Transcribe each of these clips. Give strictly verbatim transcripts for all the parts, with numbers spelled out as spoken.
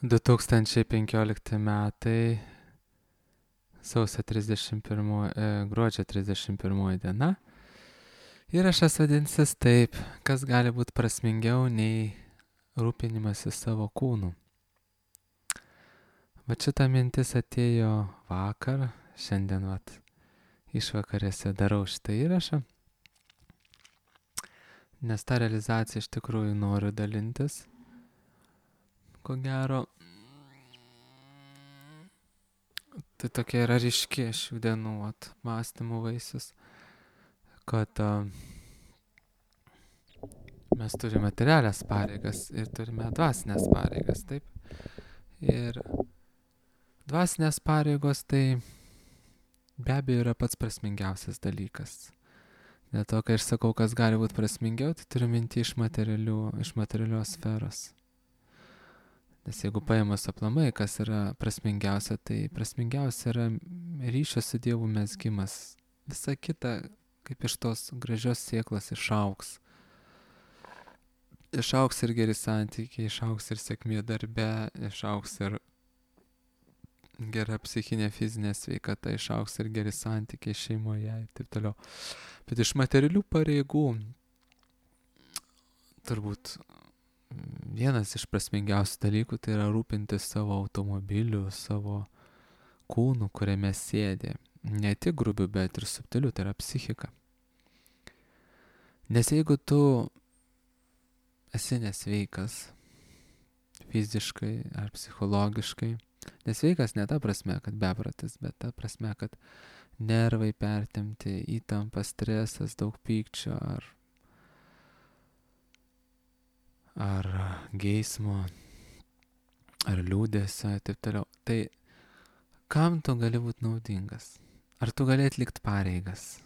du tūkstančiai penkiolikti metai, sausio trisdešimt pirmoji, gruodžio trisdešimt pirmoji diena. Įrašas vadinsis taip, kas gali būti prasmingiau nei rūpinimasis savo kūnu. Va šita mintis atėjo vakar, šiandien vat išvakarėse darau šitą įrašą, nes tą realizaciją iš tikrųjų noriu dalintis. Ko gero, tai tokia yra ryški šių dienų vat, mąstymų vaisius, kad uh, mes turime materialias pareigas ir turime dvasinės pareigas, taip. Ir dvasinės pareigos tai be abejo yra pats prasmingiausias dalykas. Dėl to, kai aš sakau, kas gali būti prasmingiau, tai turiu minti iš, iš materialios sferos. Nes jeigu paėmus aplamai, kas yra prasmingiausia, tai prasmingiausia yra ryšio su Dievu mezgimas. Visa kita, kaip iš tos gražios sėklos, išaugs. Išaugs ir geri santykiai, išaugs ir sėkmė darbe, išaugs ir gera psichinė, fizinė sveikata, išaugs ir geri santykiai šeimoje ir taip toliau. Bet iš materialių pareigų turbūt vienas iš prasmingiausių dalykų tai yra rūpintis savo automobiliu, savo kūnu, kuriame sėdė. Ne tik grubiu, bet ir subtiliu, tai yra psichika. Nes jeigu tu esi nesveikas fiziškai ar psichologiškai, nesveikas ne ta prasme, kad bepratis, bet ta prasme, kad nervai pertempti, įtampa, stresas, daug pykčio ar ar geismo, ar liūdėsio, taip toliau. Tai kam tu gali būti naudingas? Ar tu gali atlikti pareigas?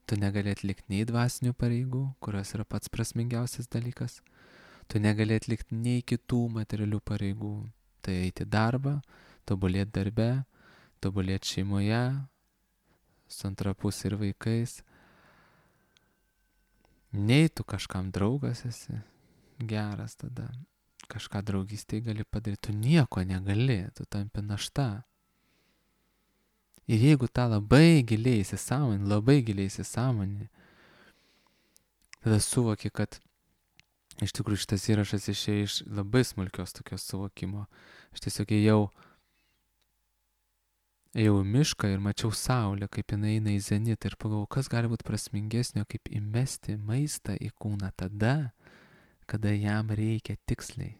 Tu negali atlikti nei dvasinių pareigų, kurios yra pats prasmingiausias dalykas. Tu negali atlikti nei kitų materialių pareigų. Tai eiti darbą, tobulėti darbe, tobulėti šeimoje, su antra pusė ir vaikais. Nei tu kažkam draugas esi geras, tada kažką draugystėje gali padaryti, tu nieko negali, tu tampi našta. Ir jeigu tą labai giliai įsisąmonini, labai giliai įsisąmonini, tada suvoki, kad iš tikrųjų šitas įrašas išėjo iš labai smulkios tokios suvokimo. Aš tiesiog ėjau, ėjau į mišką ir mačiau saulę, kaip jinai eina į zenitą ir pagalvojau, kas gali būti prasmingesnio, kaip įmesti maistą į kūną tada, kada jam reikia tiksliai,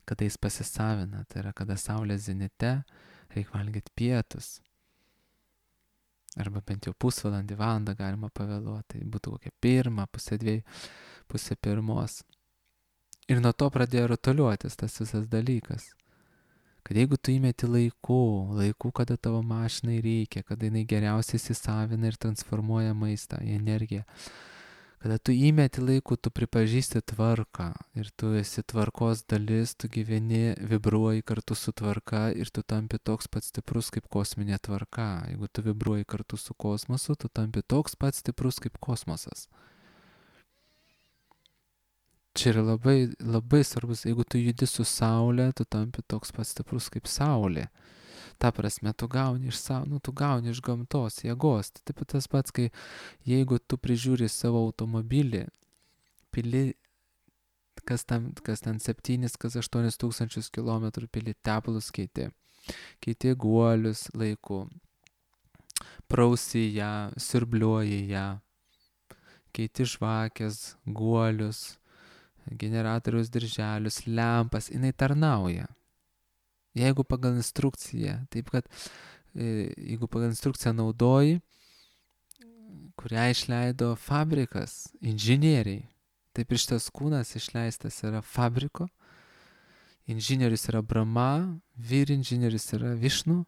kada jis pasisavina, tai yra kada saulė zenite, reikia valgyti pietus, arba bent jau pusvalandį, valandą galima pavėluoti, tai būtų kokia pirma, pusė dviejų, pusė pirmos. Ir nuo to pradėjo rutuliuotis tas visas dalykas, kad jeigu tu įmeti laiku, laiku, kada tavo mašinai reikia, kada jinai geriausiai įsisavina ir transformuoja maistą į energiją, kada tu įmeti laiku, tu pripažįsti tvarką ir tu esi tvarkos dalis, tu gyveni, vibruoji kartu su tvarka ir tu tampi toks pats stiprus kaip kosminė tvarka. Jeigu tu vibruoji kartu su kosmosu, tu tampi toks pats stiprus kaip kosmosas. Čia yra labai, labai svarbus, jeigu tu judi su saulė, tu tampi toks pats stiprus kaip saulė. Ta prasme, tu gauni iš, nu, tu gauni iš gamtos jėgos. Tai taip tas pats, kai jeigu tu prižiūri savo automobilį, pili, kas, tam, kas ten septynis, kas aštuonis tūkstančius kilometrų pili tepalus keiti, keiti guolius laiku, prausi ją, siurbliuoji ją, keiti žvakės, guolius, generatoriaus dirželius, lempas, jinai tarnauja. Jeigu pagal instrukciją, taip kad jeigu pagal instrukciją naudoji, kurią išleido fabrikas, inžinieriai, taip ir šitas kūnas išleistas yra fabriko, inžinierius yra Brahma, vyr inžinierius yra Višnu,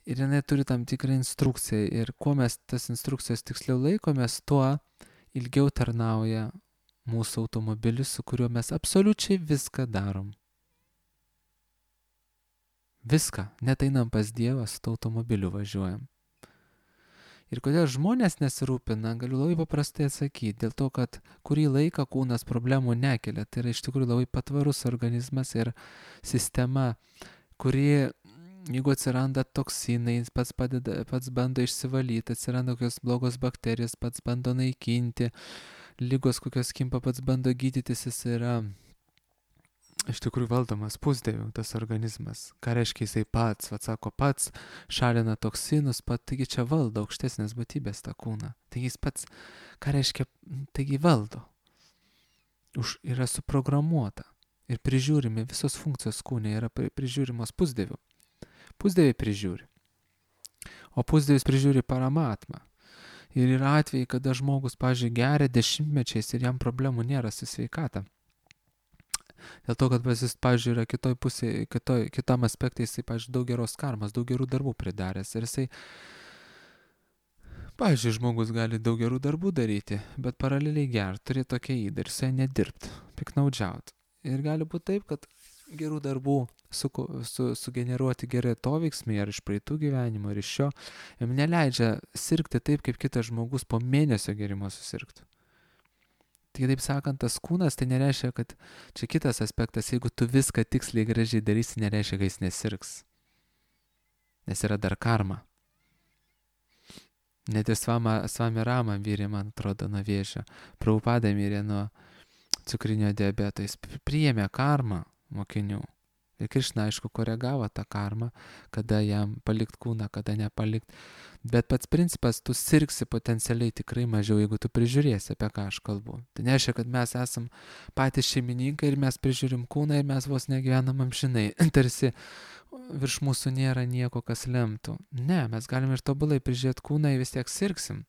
ir jinai turi tam tikrą instrukciją, ir kuo mes tas instrukcijos tiksliau laikomės, tuo ilgiau tarnauja mūsų automobilis, su kuriuo mes absoliučiai viską darom. Viską, net einam pas Dievą, su automobiliu važiuojam. Ir kodėl žmonės nesirūpina, galiu labai paprastai atsakyti. Dėl to, kad kurį laiką kūnas problemų nekelia. Tai yra iš tikrųjų labai patvarus organizmas ir sistema, kuri, jeigu atsiranda toksinai, pats, padeda, pats bando išsivalyti, atsiranda kokios blogos bakterijos, pats bando naikinti, lygos kokios kimpa, pats bando gydytis, jis yra iš tikrųjų valdomas pusdievių tas organizmas. Ką reiškia jisai pats, vad sako, pats šalina toksinus, pat, taigi čia valdo aukštesnės būtybės tą kūną. Taigi jis pats, ką reiškia, taigi valdo. Už, yra suprogramuota ir prižiūrimi, visos funkcijos kūne yra pri, prižiūrimos pusdievių. Pusdieviai prižiūri. O pusdievis prižiūri paramatmą. Ir yra atvejai, kada žmogus, pavyzdžiui, geria dešimtmečiais ir jam problemų nėra su sveikata. Dėl to, kad jis, pavyzdžiui, yra kitoj pusėje, kitoj, kitam aspektai, jisai, pavyzdžiui, daug geros karmas, daug gerų darbų pridaręs. Ir jisai, pavyzdžiui, žmogus gali daug gerų darbų daryti, bet paraleliai gert, turėti tokią įdą ir jisai nedirbt, piknaudžiaut. Ir gali būti taip, kad gerų darbų su, su, sugeneruoti gerai to veiksmai, ar iš praeitų gyvenimo, ar iš šio, jam neleidžia sirgti taip, kaip kitas žmogus po mėnesio gerimo susirgtų. Tai taip sakant, tas kūnas, tai nereiškia, kad čia kitas aspektas, jeigu tu viską tiksliai gražiai darysi, nereiškia, kad jis nesirgs. Nes yra dar karma. Net ir Svama, Svami Rama mirė, man atrodo, nuo vėžio. Prabhupada mirė nuo cukrinio diabeto. Jis priėmė karmą mokinių. Ir Krišna, aišku, koregavo tą karmą, kada jam palikt kūną, kada nepalikt. Bet pats principas, tu sirgsi potencialiai tikrai mažiau, jeigu tu prižiūrėsi, apie ką aš kalbu. Tai nereiškia, kad mes esam patys šeimininkai ir mes prižiūrim kūną ir mes vos negyvenam amžinai. Tarsi virš mūsų nėra nieko, kas lemtų. Ne, mes galim ir tobulai prižiūrėti kūną ir vis tiek sirgsim.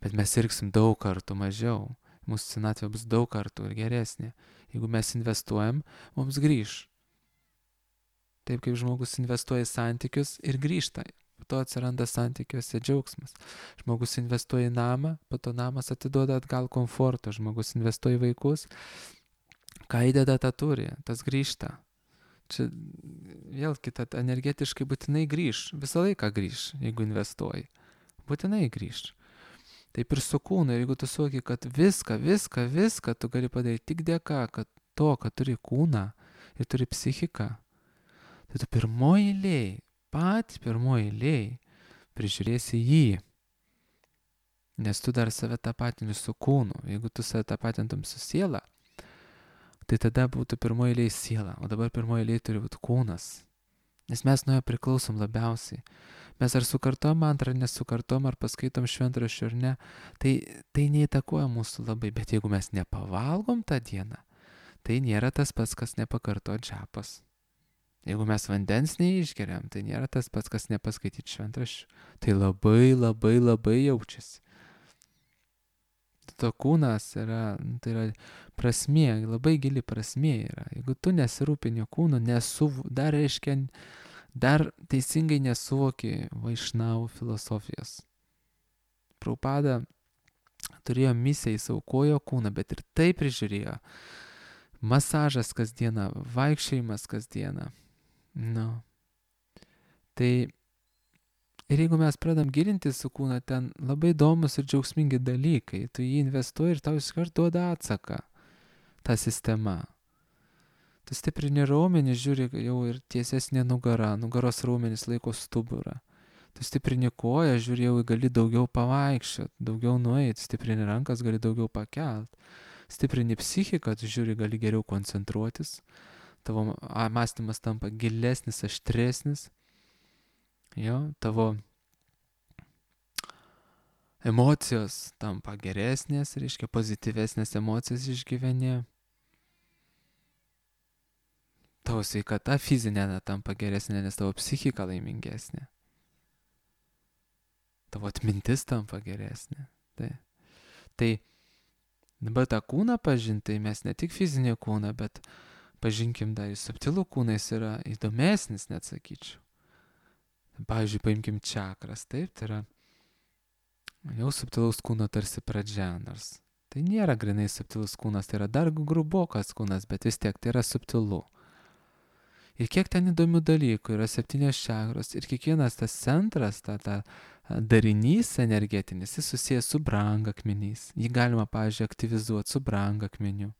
Bet mes sirgsim daug kartų mažiau. Mūsų senatvė bus daug kartų ir geresnė. Jeigu mes investuojam, mums grįž. Taip kaip žmogus investuoja į santykius ir grįžta. Po to atsiranda santykiuose džiaugsmas. Žmogus investuoja į namą, po to namas atiduoda atgal komfortą. Žmogus investuoja į vaikus, ką įdeda, tą turi, tas grįžta. Čia vėl kita, energetiškai būtinai grįž, visą laiką grįž, jeigu investuoji. Būtinai grįž. Taip ir su kūnu, jeigu tu suvoki, kad viską, viską, viską tu gali padaryti tik dėka, kad to, kad turi kūną ir turi psichiką, tai tu pirmoji eilėj, pat pirmoji eilėj prižiūrėsi jį. Nes tu dar save tapatini su kūnu. Jeigu tu save tapatintum su siela, tai tada būtų pirmoji eilėj siela, o dabar pirmoji eilėj turi būti kūnas. Nes mes nuo jo priklausom labiausiai. Mes ar sukartom mantrą, ar nesukartom, ar paskaitom šventraščių ar ne, tai, tai neįtakoja mūsų labai. Bet jeigu mes nepavalgom tą dieną, tai nėra tas pats, kas nepakarto džapas. Jeigu mes vandens neišgeriam, tai nėra tas pats, kas nepaskaityti šventraščių. Tai labai, labai, labai jaučiasi. To kūnas yra, tai yra prasmė, labai gili prasmė yra. Jeigu tu nesirūpini kūnu, nesuv, dar reiškia, dar teisingai nesuvoki vaišnavų filosofijos. Prabhupada turėjo misiją, jis aukojo kūną, bet ir tai prižiūrėjo. Masažas kasdieną, vaikščiojimas kasdieną. Nu. Tai ir jeigu mes pradam gilinti su kūną, ten labai įdomus ir džiaugsmingi dalykai. Tu jį investuoji ir tau iškart duoda atsaką. Ta sistema. Tu stiprini raumenį, žiūri jau ir tiesesnė nugara, nugaros raumenis laiko stuburą. Tu stiprini koją, žiūri jau gali daugiau pavaikščiot, daugiau nueit, stiprini rankas, gali daugiau pakelt. Stiprini psichiką, tu žiūri, gali geriau koncentruotis. Tavo mąstymas tampa gilesnis, aštresnis. Jo, tavo emocijos tampa geresnės, reiškia pozityvesnės emocijas išgyveni. Tavo sveikata fizinė tampa geresnė, nes tavo psichika laimingesnė. Tavo atmintis tampa geresnė. Tai, tai dabar tą kūną pažinti, mes ne tik fizinį kūną, bet pažinkim dar ir subtilų kūną, jis yra įdomesnis, net sakyčiau. Pavyzdžiui, paimkim čakras, taip, tai yra jau subtilaus kūno tarsi pradžia, nors tai nėra grinai subtilus kūnas, tai yra dar grubokas kūnas, bet vis tiek tai yra subtilu. Ir kiek ten įdomių dalykų, yra septynios čakros ir kiekvienas tas centras, ta, ta darinys energetinis, jis susijęs su brangakmeniais. Jį galima, pavyzdžiui, aktyvizuoti su brangakmeniu,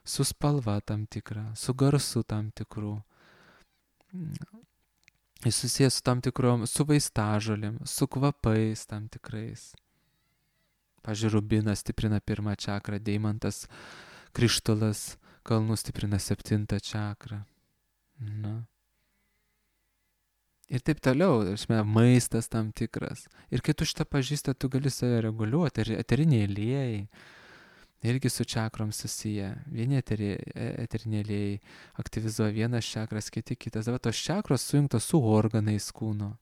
su spalva tam tikra, su garsu tam tikru. Jis susijęs su tam tikrom, su vaistažolėm, su kvapais tam tikrais. Pavyzdžiui, rubinas stiprina pirmą čakrą, deimantas, krištolas, kalnų stiprina septintą čakrą. Na. Ir taip toliau, žinai, maistas tam tikras. Ir kai tu šitą pažįsti, tu gali save reguliuoti. Ir eteriniai aliejai irgi su čakrom susiję. Vieni eteriniai aliejai aktyvizuoja vienas čakras, kiti kitas. Dabar tos čakros sujungtos su organais kūno.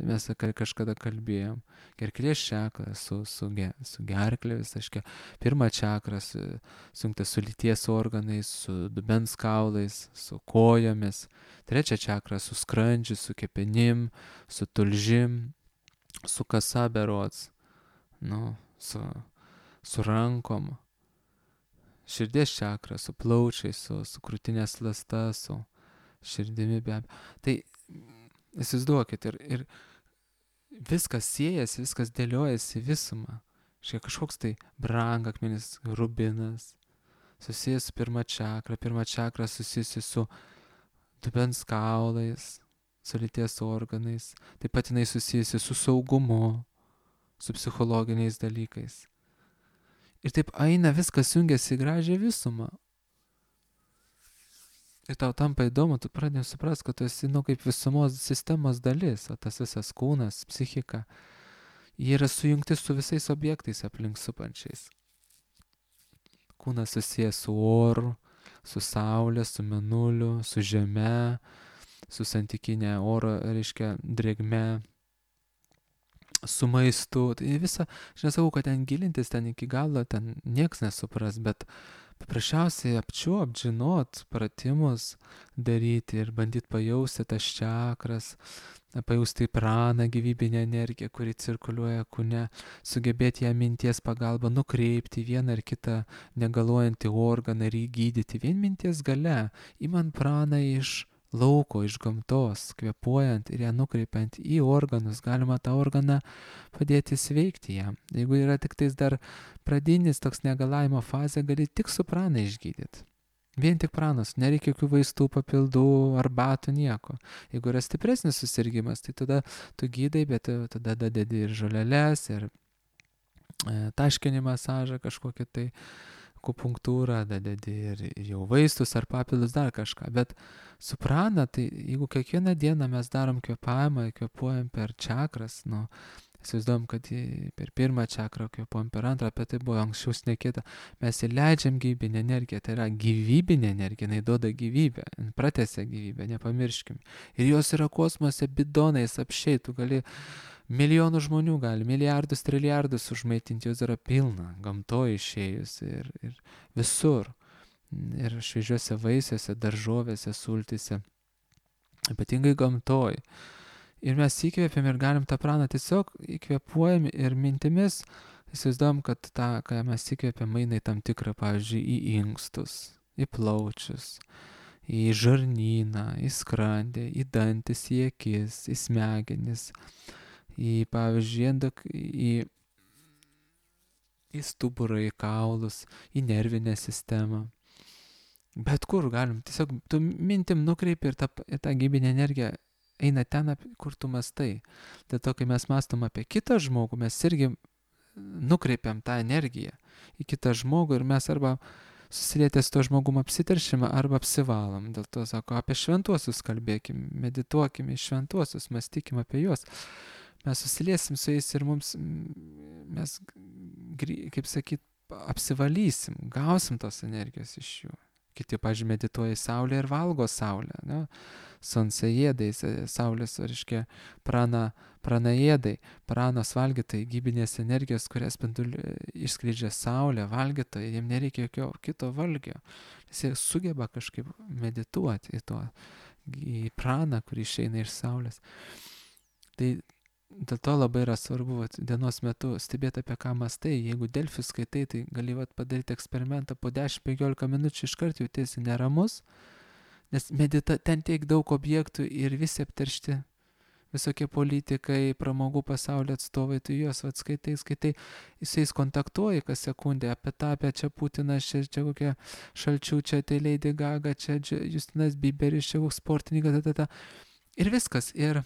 Mes kažkada kalbėjom. Gerklės čakra su, su, su gerklė visaškia. Pirmą čakrą su, sujungta su lyties organais, su dubens kaulais, su kojomis. Trečią čakrą su skrandžiu, su kepenim, su tulžim, su kasa berods, nu, su, su rankom. Širdies čakra su plaučiais, su, su krūtinės ląsta, su širdimi be abejo. Tai įsivaizduokit, ir, ir viskas siejasi, viskas dėliojasi visumą. Šiek kažkoks tai brangakmenis, rubinas, susijęs su pirma čakra, pirma čakra susijusi su dubens kaulais, su lyties organais, taip pat jinai susijusi su saugumu, su psichologiniais dalykais. Ir taip eina, viskas jungiasi į gražią visumą. Ir tau tampa įdomu, tu pradėjai suprast, kad tu esi, nu, kaip visumos sistemos dalis, o tas visas kūnas, psichika, jie yra sujungti su visais objektais aplink supančiais. Kūnas susijęs su oru, su saulė, su mėnuliu, su žeme, su santykinė oro, reiškia, drėgme, su maistu. Tai visą, aš nesakau, kad ten gilintis, ten iki galo, ten nieks nesupras, bet paprasčiausiai apčiuopt, žinot, pratimus daryti ir bandyti pajausti tas čakras, pajausti praną, gyvybinę energiją, kuri cirkuliuoja kūne, sugebėti ją minties pagalba nukreipti vieną ar kitą negaluojantį organą ir jį gydyti. Vien minties gale, imant praną iš lauko, iš gamtos, kvėpuojant ir ją nukreipiant į organus, galima tą organą padėti sveikti jam. Jeigu yra tik tais dar pradinis toks negalavimo fazė, gali tik su prana išgydyti. Vien tik pranas, nereikia jokių vaistų, papildų, arbatų, nieko. Jeigu yra stipresnis susirgymas, tai tada tu gydai, bet tada dadedi ir žoleles, ir e, taškinį masažą kažkokį tai, akupunktūrą, dadedi ir, ir jau vaistus ar papildus, dar kažką. Bet su prana, tai jeigu kiekvieną dieną mes darom kvėpavimą, kvėpuojam per čakras, nu, įsivaizduojam, kad per pirmą čakrą kvėpuojam, per antrą, apie tai buvo anksčiau šnekėta, mes įleidžiam gyvybinę energiją, tai yra gyvybinė energija, jinai duoda gyvybę, pratęsia gyvybę, nepamirškim. Ir jos yra kosmose bidonais apšiai, tu gali milijonų žmonių gali, milijardus, trilijardus užmaitinti, jos yra pilna, gamtoje išėjus ir, ir visur. Ir šviežiuose vaisiuose, daržovėse, sultyse, ypatingai gamtoje. Ir mes įkvėpiam ir galim tą praną tiesiog įkvėpuojam ir mintimis įsivaizduojam, kad tą, ką mes įkvėpiam, eina į tam tikrą, pavyzdžiui, į inkstus, į plaučius, į žarnyną, į skrandį, į dantis, į akis, į smegenis, į, pavyzdžiui, endok, į, į stuburą, į kaulus, į nervinę sistemą. Bet kur galim, tiesiog tu mintim nukreipi ir tą, ir tą gyvybinę energiją eina ten, kur tu mastai. Dėl to, kai mes mastom apie kitą žmogų, mes irgi nukreipiam tą energiją į kitą žmogų ir mes arba susilietę su to žmogum apsiteršimą arba apsivalom. Dėl to sako, apie šventuosius kalbėkim, medituokim į šventuosius, mąstykim apie juos. Mes susiliesim su jais ir mums, mes, kaip sakyt, apsivalysim, gausim tos energijos iš jų. Kiti, pavyzdžiui, medituoja į saulę ir valgo saulę, ne? Sonseėdai, saulės, reiškia, prana, pranaėdai, pranos valgytojai, gyvybinės energijos, kurias spinduliu išskleidžia saulė, valgytojai, jiems nereikia jokio kito valgio. Jis sugeba kažkaip medituoti į to, į praną, kuri išeina iš saulės. Tai dėl to labai yra svarbu vat, dienos metu stebėti, apie ką mąstai. Jeigu Delfi skaitai, tai gali vat, padaryti eksperimentą po dešimt penkiolika minučių iškart jautiesi neramus, nes medita, ten tiek daug objektų ir visi apteršti. visokie politikai, pramogų pasaulio atstovai, tu juos vat skaitai, skaitai, jisais kontaktuoji kas sekundę apie tą, apie čia Putinas, čia, čia kokia Šalčiūčia, tai Lady Gaga, čia Justinas Bieberis, čia koks sportininkas, ta, ta, ta. Ir viskas. Ir,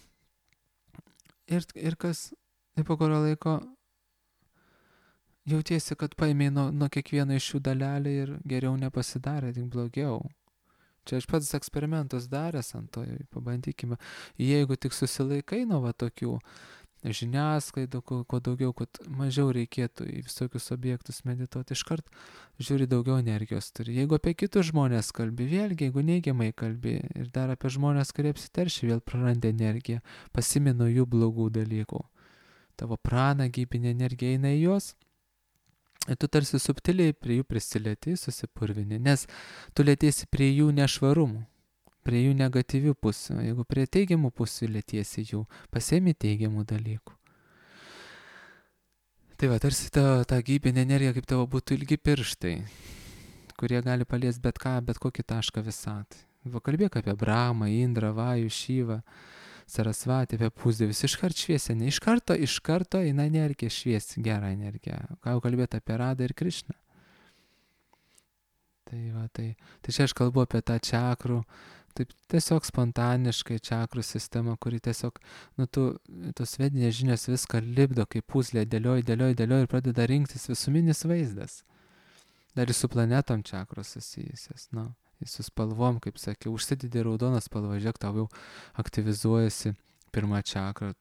ir, ir kas, ir po kurio laiko jautiesi, kad paėmė nuo, nuo kiekvieno iš šių dalelį ir geriau nepasidarė, tik blogiau. Čia aš pats eksperimentus daręs ant to, pabandykime. Jeigu tik susilaikai nuo va tokių žiniasklaidų, kuo, kuo daugiau, kad mažiau reikėtų į visokius objektus medituoti, iškart žiūri daugiau energijos turi. Jeigu apie kitus žmonės kalbi, vėlgi, jeigu neigiamai kalbi ir dar apie žmonės, kurie apsiteršia, vėl praranda energiją, pasimino jų blogų dalykų. Tavo prana, gyvybinė energija eina į juos. Ir tu tarsi subtiliai prie jų prisilieti, susipurvini, nes tu lietiesi prie jų nešvarumų, prie jų negatyvių pusių. Jeigu prie teigiamų pusių lietiesi jų, pasiemi teigiamų dalykų. Tai va, tarsi ta, ta gyvybinė energija kaip tavo būtų ilgi pirštai, kurie gali paliesti bet ką, bet kokį tašką visatai. Va, kalbėk apie Brahmą, Indrą, Vajų, Šyvą, Sarasvatį, apie pusdievius, iškart šviesia, ne iš karto, iš karto eina energija šviesi, gerą energiją. Ką jau kalbėti apie Radą ir Krišną. Tai va, tai, tai čia aš kalbu apie tą čakrų, taip tiesiog spontaniškai čakrų sistemą, kuri tiesiog, nu, tu, tos vedinės žinios viską lipdo, kaip puzlė, dėlioji, dėlioji, dėlioji ir pradeda rinktis visuminis vaizdas. Dar ir su planetom čakros susijusios, nu. Su spalvom, kaip sakiau, užsidedi raudoną spalvą, žiūrėk, tau jau aktyvizuojasi pirmą čakrą,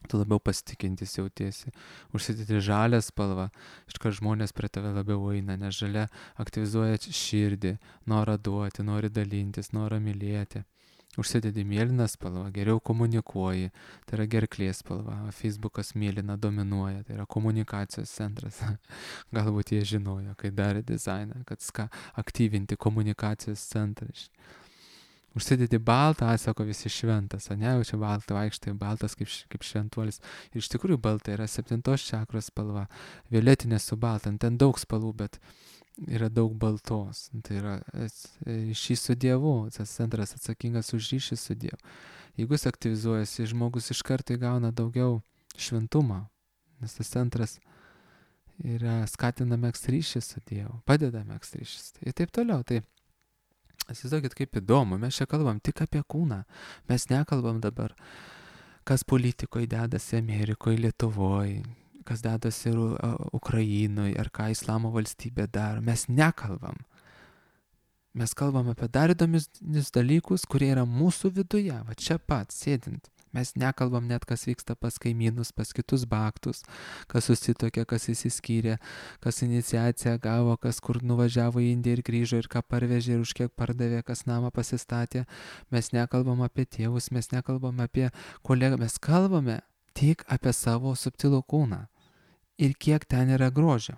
tu labiau pasitikintis jautiesi. Užsidedi žalią spalvą, iškart žmonės prie tave labiau eina, nes žalia aktyvizuoja širdį, norą duoti, nori dalintis, norą mylėti. Užsidedi mėlyną spalvą, geriau komunikuoji, tai yra gerklės spalva, Facebookas mėlyna dominuoja, tai yra komunikacijos centras. Galbūt jie žinojo, kai darė dizainą, kad ska aktyvinti komunikacijos centrą. Užsidedi baltą, atsako visi šventas, o ne, jau čia baltą vaikštai, baltas kaip, kaip šventuolis. Ir iš tikrųjų balta yra septintos čakros spalva, violetinė su balta, ten daug spalvų, bet yra daug baltos, tai yra ryšys su Dievu, tas centras atsakingas už ryšį su Dievu. Jeigu jis aktyvizuojasi, žmogus iš karto įgauna daugiau šventumo, nes tas centras yra skatina megzt ryšį su Dievu, padeda megzt ryšį ir taip toliau. Tai įsivaizduokit, kaip įdomu, mes čia kalbam tik apie kūną, mes nekalbam dabar, kas politikoje dedasi Amerikoje, Lietuvoje, kas dedasi ir Ukrainoje, ar ką Islamo valstybė daro. Mes nekalbam. Mes kalbam apie dar įdomius dalykus, kurie yra mūsų viduje, va čia pat, sėdint. Mes nekalbam net, kas vyksta pas kaimynus, pas kitus baktus, kas susitokė, kas įsiskyrė, kas iniciaciją gavo, kas kur nuvažiavo į Indiją ir grįžo ir ką parvežė ir už kiek pardavė, kas namą pasistatė. Mes nekalbam apie tėvus, mes nekalbam apie kolegą, mes kalbame tik apie savo subtilų kūną. Ir kiek ten yra grožio,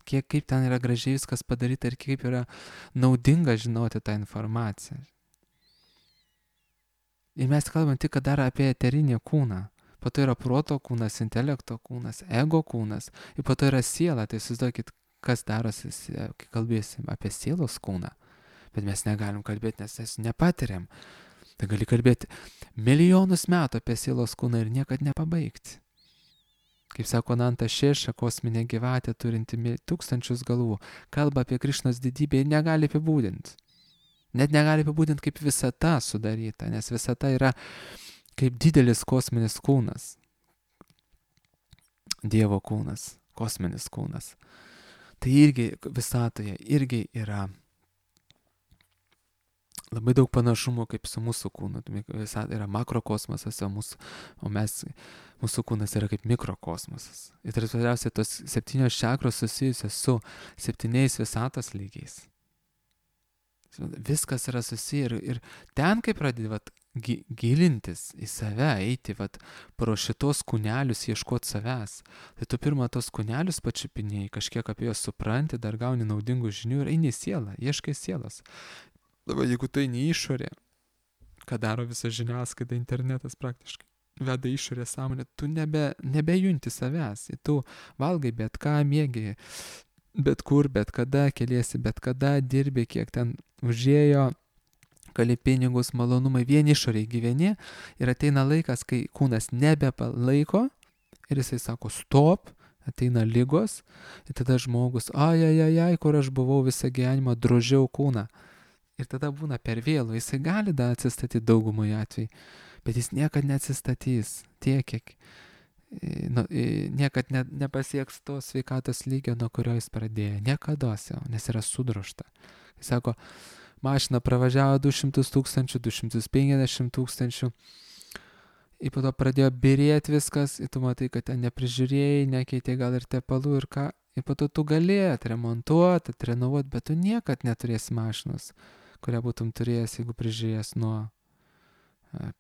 kiek kaip ten yra gražiai viskas padaryta ir kaip yra naudinga žinoti tą informaciją. Ir mes kalbam tik dar apie eterinį kūną, po to yra proto kūnas, intelekto kūnas, ego kūnas, ir po to yra siela, tai įsivaizduokit, kas darosi, kai kalbėsim apie sielos kūną, bet mes negalim kalbėti, nes mes nepatiriam. Tai gali kalbėti milijonus metų apie sielos kūną ir niekad nepabaigti. Kaip sako Nanta Šeša, kosminė gyvatė turinti tūkstančius galvų, kalba apie Krišnos didybę ir negali apibūdinti. Net negali apibūdinti kaip visata sudaryta, nes visata yra kaip didelis kosminis kūnas. Dievo kūnas, kosminis kūnas. Tai irgi visatoje irgi yra labai daug panašumų kaip su mūsų kūnu. Visata yra makrokosmosas, o, mūsų, o mes, mūsų kūnas yra kaip mikrokosmosas. Ir tai svarbiausia, tos septynios čakros susijusios su septyniais visatos lygiais. Viskas yra susiję ir, ir ten, kai pradedi vat, gi, gilintis į save, eiti vat, pro šitos kūnelius, ieškoti savęs, tai tu pirmą tos kūnelius pačiupinėjai, kažkiek apie juos supranti, dar gauni naudingų žinių ir eini į sielą, ieškai sielos. Dabar jeigu tu eini išorė, ką daro visa žiniasklaida, internetas praktiškai, veda išorė sąmonę, tu nebe, nebejunti savęs, tu valgai bet ką, mėgi, bet kur, bet kada, keliesi, bet kada, dirbi, kiek ten užėjo, kali pinigus, malonumai, vien išoriai gyveni ir ateina laikas, kai kūnas nebepalaiko ir jisai sako stop, ateina ligos ir tada žmogus, ai, ai, ai, ai, kur aš buvau visą gyvenimą, drožiau kūną. Ir tada būna per vėlų, jisai gali da atsistatyti daugumai atvejai, bet jis niekad neatsistatys tiek, kiek nu, niekad ne, nepasieks to sveikatos lygio, nuo kurio jis pradėjo. Niekados jau, nes yra sudrožta. Jis sako, mašina pravažiavo du šimtus tūkstančių, du šimtus penkiasdešimt tūkstančių. Ir po to pradėjo birėti viskas, ir tu matai, kad ten neprižiūrėjai, nekeitė gal ir tepalų ir ką. Ir po to tu galėjai atremontuoti, atrenovuoti, bet tu niekad neturėsi mašinos, kurią būtum turėjęs, jeigu prižiūrėjęs nuo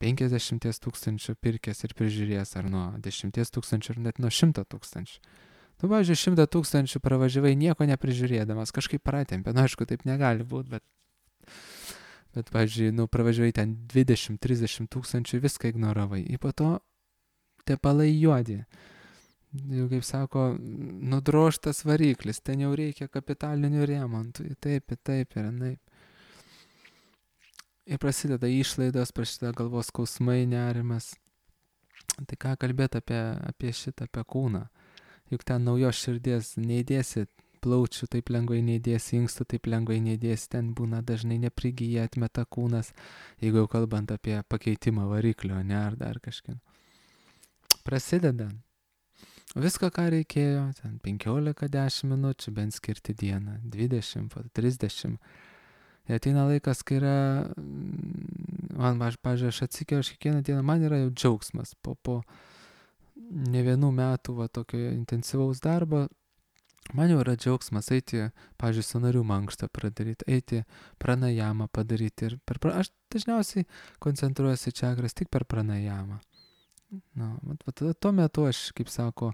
penkiasdešimt tūkstančių pirkęs ir prižiūrėjęs, ar nuo dešimties tūkstančių, ar net nuo šimto tūkstančių. Tu, pavyzdžiui, šimtą tūkstančių pravažiavai nieko neprižiūrėdamas, kažkaip pratempė, nu aišku, taip negali būti, bet, bet pavyzdžiui, nu, pravažiavai ten dvidešimt trisdešimt tūkstančių, viską ignoravai. Ir po to tepalai juodi. Jau kaip sako, nudrožtas variklis, ten jau reikia kapitalinių remontų, taip, taip ir naip. Ir prasideda išlaidos, prasideda galvos skausmai, nerimas. Tai ką kalbėti apie, apie šitą, apie kūną. Juk ten naujos širdies neįdėsi, plaučių taip lengvai neįdėsi, inkstų taip lengvai neįdėsi, ten būna dažnai neprigyja, atmeta kūnas, jeigu jau kalbant apie pakeitimą variklio, ne, ar dar kažkiek. Prasideda. Viską, ką reikėjo, ten penkiolika dešimt minučių, bent skirti dieną, dvidešimt, trisdešimt. Ir ateina laikas, kai yra, man, pažiūrėjau, aš atsikėjau, aš kiekvieną dieną, man yra jau džiaugsmas. Po, po ne vienų metų va, tokio intensyvaus darbo, man jau yra džiaugsmas eiti, pažiūrėjau, sąnarių mankštą padaryti, eiti pranajamą padaryti. Ir per, aš dažniausiai koncentruojuosi čakras tik per pranajamą. Na, tada tuo metu aš, kaip sako,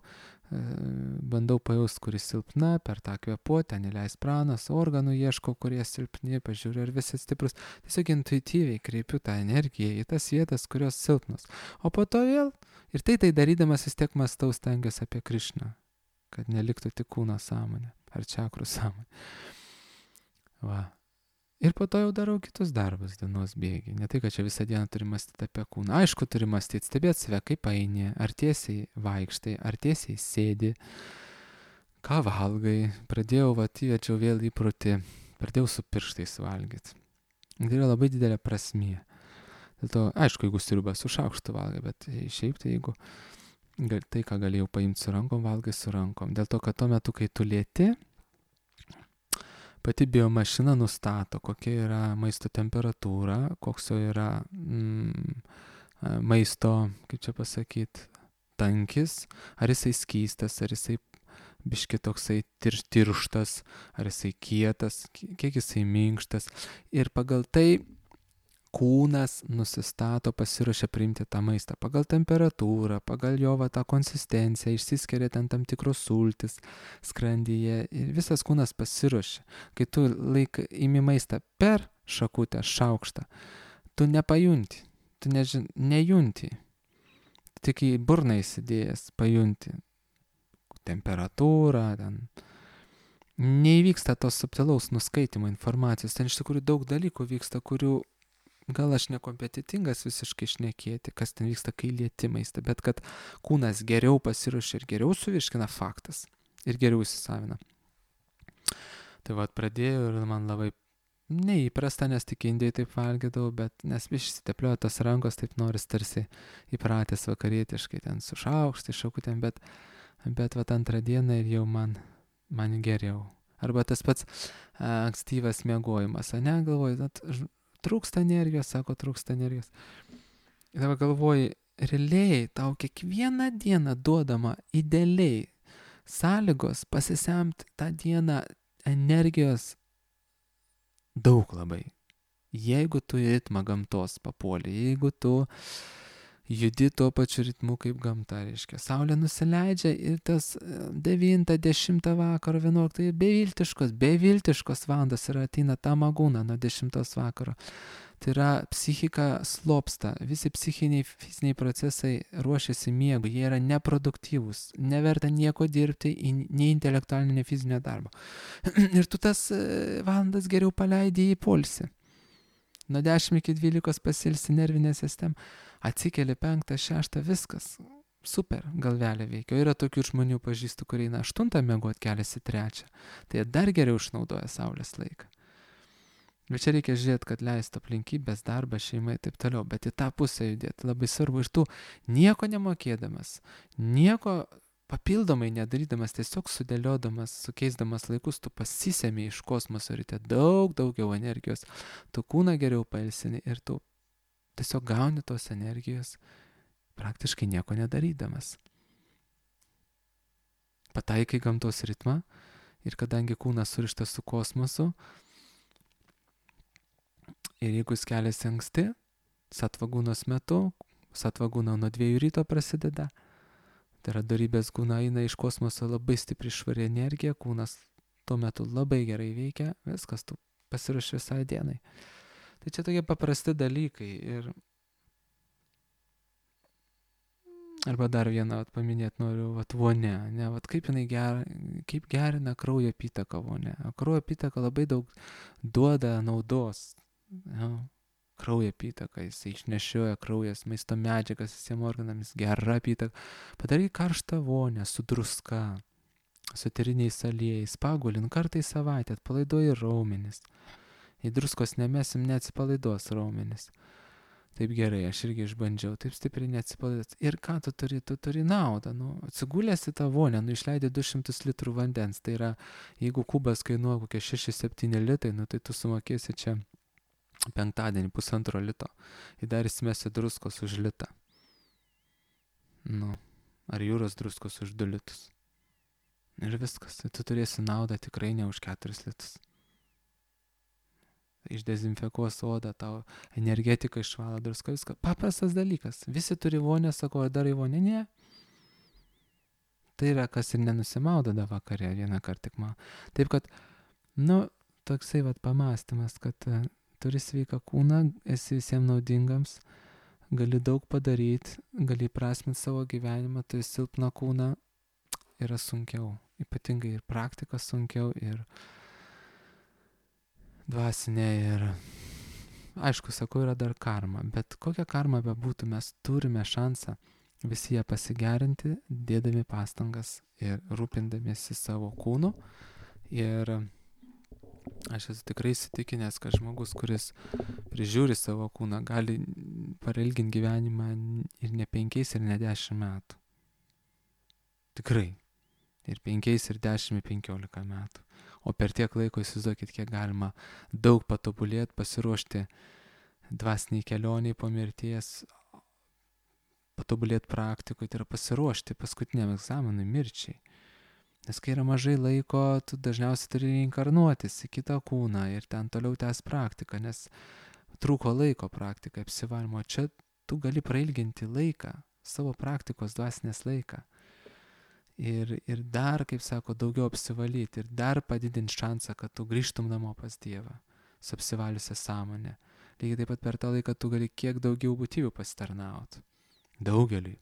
bandau pajaust, kuris silpna, per tą kvėpuotę, ten įleis pranas, organų ieško, kurie silpni, pažiūriu, ar visi stiprus. Tiesiog intuityviai kreipiu tą energiją į tas vietas, kurios silpnos. O po to vėl, ir tai tai darydamas vis tiek mąstau, stengiuosi apie Krišną, kad neliktų tik kūno sąmonė, ar čakrų sąmonė. Va. Ir po to jau darau kitus darbus dienos bėgiai. Ne tai, kad čia visą dieną turi mąstyti apie kūną. Aišku, turi mąstyti, stebėti save, kaip eini, ar tiesiai vaikštai, ar tiesiai sėdi, ką valgai. Pradėjau, va, įvedžiau vėl įprotį, pradėjau su pirštais valgyti. Tai yra labai didelė prasmė. Dėl to, aišku, jeigu sriubą su šaukštu valgai, bet šiaip tai jeigu tai, ką galėjau paimti su rankom, valgai su rankom. Dėl to, kad tuo metu, kai tu lieti, pati biomašina nustato, kokia yra maisto temperatūra, koks jo yra mm, maisto, kaip čia pasakyti, tankis, ar jisai skystas, ar jisai biški toksai tir, tirštas, ar jisai kietas, kiek jisai minkštas. Ir pagal tai kūnas nusistato, pasiruošia priimti tą maistą pagal temperatūrą, pagal jo va, tą konsistenciją, išsiskiria ten tam tikros sultis skrandyje ir visas kūnas pasiruošia. Kai tu laik imi maistą per šakutę, šaukštą, tu nepajunti, tu nežin, nejunti, tik į burną įsidėjęs pajunti temperatūrą, ten neįvyksta tos subtilaus nuskaitimo informacijos, ten iš tikrųjų daug dalykų vyksta, kurių gal aš nekompetitingas visiškai šnekėti, kas ten vyksta, kai lieti maistą, bet kad kūnas geriau pasiruošia ir geriau suvirškina faktas ir geriau įsisavina. Tai va, pradėjau ir man labai neįprasta, nes tik Indijai taip valgydavau, bet nes išsitepliojo tos rankos, taip noris tarsi įpratęs vakarietiškai ten su šaukštai, šakutėm, bet, bet va, antrą dieną ir jau man, man geriau. Arba tas pats a, ankstyvas miegojimas, ane, galvoju, at, trūksta energijos, sako, trūksta energijos. Ir dabar galvoju, realiai tau kiekvieną dieną duodama idealiai sąlygos pasisemti tą dieną energijos daug labai. Jeigu tu į ritmą gamtos papuoli, jeigu tu judi tuo pačiu ritmu kaip gamta, reiškia. Saulė nusileidžia ir tas devintą, dešimtą vakaro, vienuoliktą, beviltiškos, beviltiškos valandos ir ateina ta magūna nuo dešimtos vakaro. Tai yra psichika slopsta, visi psichiniai, fiziniai procesai ruošiasi miegui, jie yra neproduktyvūs, neverta nieko dirbti, nei intelektualinio, nei fizinio darbo. Ir tu tas valandas geriau paleidi į poilsį. nuo dešimt iki dvylikos pasilsi nervinę sistemą, atsikeli penktą, šeštą, viskas. Super, galvelė veikia. O yra tokių žmonių pažįstų, kurie eina aštuntą miegot, keliasi trečią. Tai jie dar geriau išnaudoja saulės laiką. Bet čia reikia žiūrėti, kad leistų aplinkybės, darbą, šeimą ir taip toliau. Bet į tą pusę judėti labai svarbu. Ir tu nieko nemokėdamas, nieko papildomai nedarydamas, tiesiog sudėliodamas, sukeisdamas laikus, tu pasisemi iš kosmoso ryte daug daugiau energijos. Tu kūną geriau pailsini ir tu tiesiog gauni tos energijos praktiškai nieko nedarydamas. Pataikai gamtos ritmą ir kadangi kūnas surištas su kosmosu ir jeigu jis keliasi anksti, satvagūnos metu, satvagūna nuo dviejų ryto prasideda, tai yra dorybės gūna eina iš kosmoso labai stipri švari energija, kūnas tuo metu labai gerai veikia, viskas, tu pasiruoši visai dienai. Tai čia tokie paprasti dalykai ir arba dar vieną vat, paminėti noriu, vat, vonia, ne, vat, kaip jinai ger, kaip gerina kraujo apytaką vonia. O kraujo apytaka labai daug duoda naudos. Ja, kraujo apytaka, jis išnešioja kraujas, maisto medžiagas visiems organams, gera apytaka. Padaryk karštą vonę su druska, su eteriniais aliejais, pagulink kartą į savaitę, atpalaiduoji raumenis. Jei druskos nemesim, neatsipalaiduos raumenis. Taip gerai, aš irgi išbandžiau, taip stipriai neatsipalaiduos. Ir ką tu turi? Tu turi naudą. Nu, atsigulęs į tą vonę, nu išleidai du šimtus litrų vandens. Tai yra, jeigu kubas kainuoja kokie šeši septyni litrai, nu tai tu sumokėsi čia penktadienį pusantro lito. Ir dar įsimesi druskos už litą. Nu, ar jūros druskos už du litus. Ir viskas. Tai tu turėsi naudą tikrai ne už keturis litus. Išdezinfekuos odą, tau energetika išvalo druska, viską. Paprastas dalykas. Visi turi vonę, sako, ar darai vonę? Ne. Tai yra, kas ir nenusimaudo da vakarė, vieną kartą tik man. Taip kad, nu, toksai vat pamastymas, kad uh, turi sveiką kūną, esi visiems naudingams, gali daug padaryti, gali prasminti savo gyvenimą, turi silpną kūną, yra sunkiau. Ypatingai ir praktika sunkiau, ir dvasinė ir, aišku, sakau, yra dar karma, bet kokia karma bebūtų, mes turime šansą visi ją pasigerinti, dėdami pastangas ir rūpindamiesi savo kūnu. Ir aš esu tikrai įsitikinęs, kad žmogus, kuris prižiūri savo kūną, gali pailginti gyvenimą ir ne penkiais, ir ne dešimt metų. Tikrai. Ir penkiais, ir dešimt, ir penkiolika metų. O per tiek laiko įsivaizduokit, kiek galima daug patobulėti, pasiruošti dvasiniai kelioniai po mirties, patobulėti praktikoje, tai yra pasiruošti paskutiniam egzaminui, mirčiai. Nes kai yra mažai laiko, tu dažniausiai turi reinkarnuotis į kitą kūną ir ten toliau tęs praktiką, nes trūko laiko praktikai apsivalymo. Čia tu gali prailginti laiką, savo praktikos dvasinės laiką. Ir, ir dar, kaip sako, daugiau apsivalyti ir dar padidinti šansą, kad tu grįžtum namo pas Dievą su apsivaliusią sąmonę. Lygiai taip pat per tą laiką tu gali kiek daugiau būtybių pasitarnauti. Daugeliui.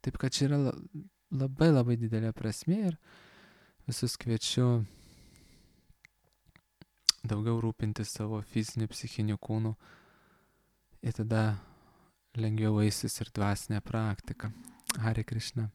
Taip kad čia yra labai labai didelė prasmė ir visus kviečiu daugiau rūpinti savo fiziniu, psichiniu kūnu ir tada lengviau eisis ir dvasinė praktika. Hare Krishna.